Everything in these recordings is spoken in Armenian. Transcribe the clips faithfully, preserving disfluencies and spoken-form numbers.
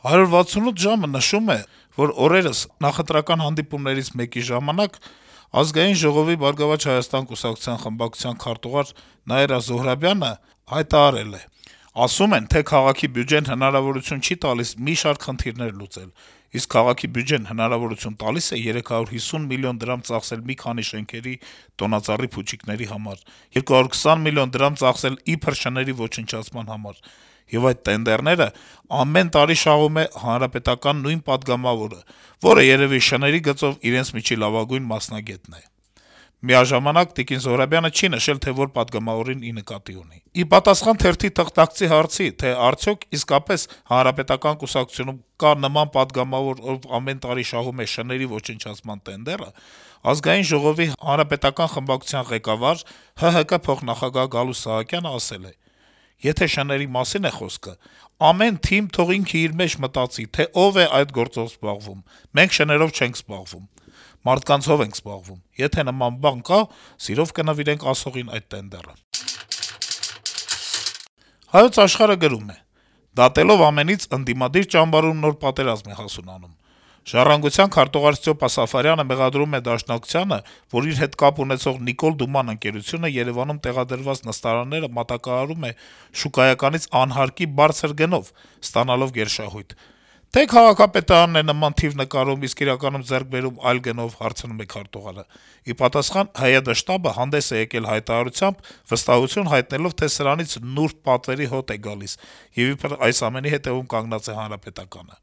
«հարյուր վաթսունութ ժամ»-ը նշում է, որ օրերս նախընտրական հանդիպումներից մեկի ժամանակ Ազգային ժողովի «Բարգավաճ Հայաստան» կուսակցության խմբակցության քարտուղար Նաիրա Զոհրաբյանը հայտարարել է. «Ասում են, թե քաղաքի բյուջեն հնարավորություն չի տալիս մի շարք խնդիրներ լուծել, իսկ քաղաքի բյուջեն հնարավորություն տալիս է երեք հարյուր հիսուն միլիոն դրամ ծախսել մի քանի շենքերի տոնածառի փուչիկների համար, երկու հարյուր քսան միլիոն դրամ ծախսել իբր շների ոչնչացման համար, եւ այդ տենդերները ամեն տարի շահում է հանրապետական նույն պատգամավորը, որը երեւի շների գծով իրենց միջի լավագույն մասնագետն է»։ Միաժամանակ Տիկին Զոհրաբյանը չի նշել, թե որ պատգամավորին ի նկատի ունի։ Ի պատասխան թերթի թղթակցի հարցի, թե արդյոք իսկապես Հանրապետական կուսակցությունում կա նման պատգամավոր, ով ամեն տարի շահում է շների ոչնչացման տենդերը, Ազգային ժողովի հանրապետական խմբակցության ղեկավար ՀՀԿ փոխնախագահ Գալուստ Սահակյանը ասել է. «Եթե շների մասին է խոսքը, ամեն թիմ թող ինքը իր մեջ մտածի, թե ով է այդ գործով զբաղվում, մենք շներով չենք զբաղվում, մարդկանց հով ենք զբաղվում, եթե նման բան կա, սիրով կնվիրենք ասողին այդ տենդերը»։ «Հայոց Աշխարհ»-ը գրում է. - «Դատելով ամենից ընդդիմադիր ճամբարում նոր պատերազմ է հասունանում: «Ժառանգության» քարտուղար Ստյոպա Սաֆարյանը մեղադրում է Դաշնակցությանը, որ իր հետ կապ ունեցող «Նիկոլ Դուման» ընկերությունը Երեւանում տեղադրված նստարանները մատակարարում է շուկայականից անհարկի բարձր գնով, ստանալով գերշահույթ: Թե՞ քաղաքապետարանն է նման թիվ նկարում, իսկ իրականում ձեռք բերում այլ գնով, հարցնում է քարտուղարը: Ի պատասխան ՀՅԴ շտաբը հանդես է եկել հայտարարությամբ, վստահություն հայտնելով, թե սրանից նուրբ պատվերի հոտ է գալիս, եւ իբր այս ամենի հետեւում կանգնած է Հանրապետականը: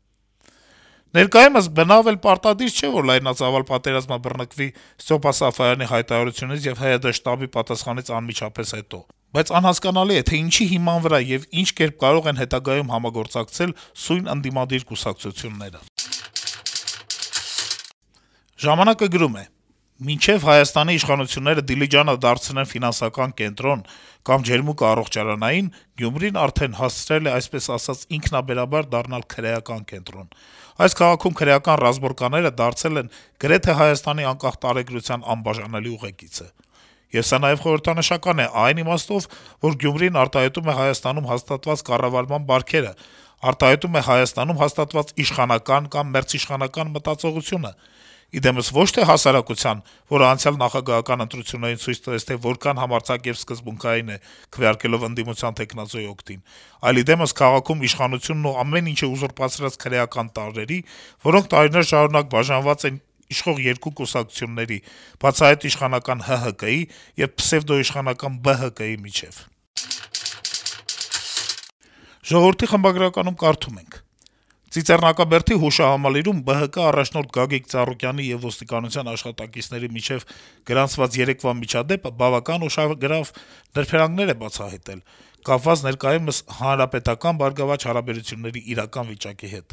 Ներկայումս բնավ էլ պարտադիր չէ, որ լայնածավալ պատերազմը բռնկվի Ստյոպա Սաֆարյանի հայտարարությունից եւ ՀՅԴ շտաբի պատասխանից անմիջապես հետո: Բայց անհասկանալի է, թե ինչի հիման վրա եւ ինչ կերպ կարող են հետագայում համագործակցել սույն ընդդիմադիր կուսակցությունները»: «Ժամանակ»-ը գրում է. - «Մինչեւ Հայաստանի իշխանությունները Դիլիջանը դարձնեն ֆինանսական կենտրոն կամ ջերմուկը-առողջարանային, Գյումրին արդեն հասցրել է, այսպես ասած, ինքնաբերաբար դառնալ քրեական կենտրոն: Այս քաղաքում քրեական ռազմորկաները դարձել են գրեթե Հայաստանի անկախ տարեգրության անբաժանելի ուղեկիցը: Եվ սա նաեւ խորհրդանշական է այն իմաստով, որ Գյումրին արտահայտում է Հայաստանում հաստատված կառավարման բարքերը, արտահայտում է Հայաստանում հաստատված իշխանական կամ մերձիշխանական մտածողությունը: Ի դեմս ոչ թե հասարակության, որը անցյալ նախագահական ընտրություններին ցույց տվեց, թե որքան համարձակ եւ սկզբունքային է, քվեարկելով ընդդիմության թեկնածուի օգտին, այլ ի դեմս քաղաքում իշխանությունն ու ամեն ինչը ուզուրպացրած քրեական տարրերի, որոնք տարիներ շարունակ բաժանված են իշխող երկու կուսակցությունների՝ բացահայտ իշխանական ՀՀԿ-ի եւ պսեւդոիշխանական ԲՀԿ-ի միջեւ»: «Ժողովուրդ»-ի խմբագրականում կարդում ենք. - «Ծիծեռնակաբերդի հուշահամալիրում ԲՀԿ առաջնորդ Գագիկ Ծառուկյանի եւ ոստիկանության աշխատակիցների միջեւ գրանցված երեկվա միջադեպը բավական ուշագրավ նրբերանգներ է բացահայտել՝ կապված ներկայումս հանրապետական-բարգավաճ հարաբերությունների իրական վիճակի հետ: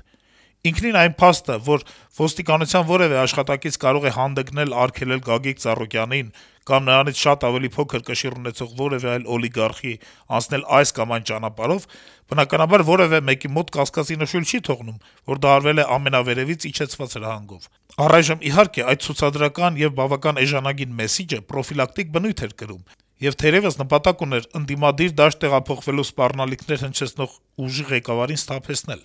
Ինքնին այն փաստը, որ ոստիկանության որեւէ աշխատակից կարող է հանդգնել արգելել Գագիկ Ծառուկյանին կամ նրանից շատ ավելի փոքր կշիռ ունեցող որեւէ այլ օլիգարխի անցնել այս կամ այն ճանապարհով, բնականաբար որեւէ մեկի մոտ կասկածի նշույլ չի թողնում, որ դա արվել է ամենավերեւից իջեցված հրահանգով: Առայժմ, իհարկե, այդ ցուցադրական եւ բավական էժանագին մեսիջը պրոֆիլակտիկ բնույթ էր կրում եւ թերեւս նպատակ ուներ ընդդիմադիր դաշտ տեղափոխվելու սպառնալիքներ հնչեցնող ուժի ղեկավարին սթափեցնել»: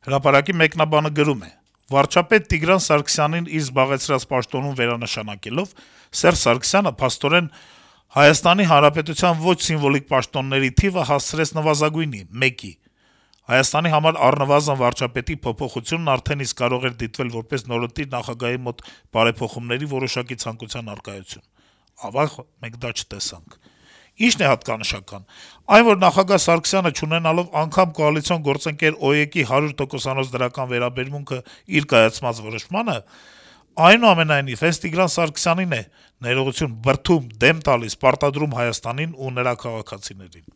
«Հրապարակ»-ի մեկնաբանը գրում է. - «Վարչապետ Տիգրան Սարգսյանին իր զբաղեցրած պաշտոնում վերանշանակելով` Սերժ Սարգսյանը, փաստորեն, Հայաստանի Հանրապետության ոչ սիմվոլիկ պաշտոնների թիվը հասցրեց նվազագույնի` մեկի: Հայաստանի համար առնվազն վարչապետի փոփոխությունն արդեն իսկ կարող էր դիտվել որպես նորընտիր նախագահի մոտ բարեփոխումների որոշակի ցանկության առկայություն: Ավաղ, մենք դա չտեսանք: Ի՞նչն է հատկանշական: Այն, որ նախագահ Սարգսյանը, չունենալով անգամ կոալիցիոն գործընկեր ՕԵԿ-ի հարյուր տոկոսանոց դրական վերաբերմունքը իր կայացած որոշմանը, այնուամենայնիվ, հենց Տիգրան Սարգսյանին է ներողություն, բրդում, դեմ տալիս, պարտադրում Հայաստանին ու նրա քաղաքացիներին»: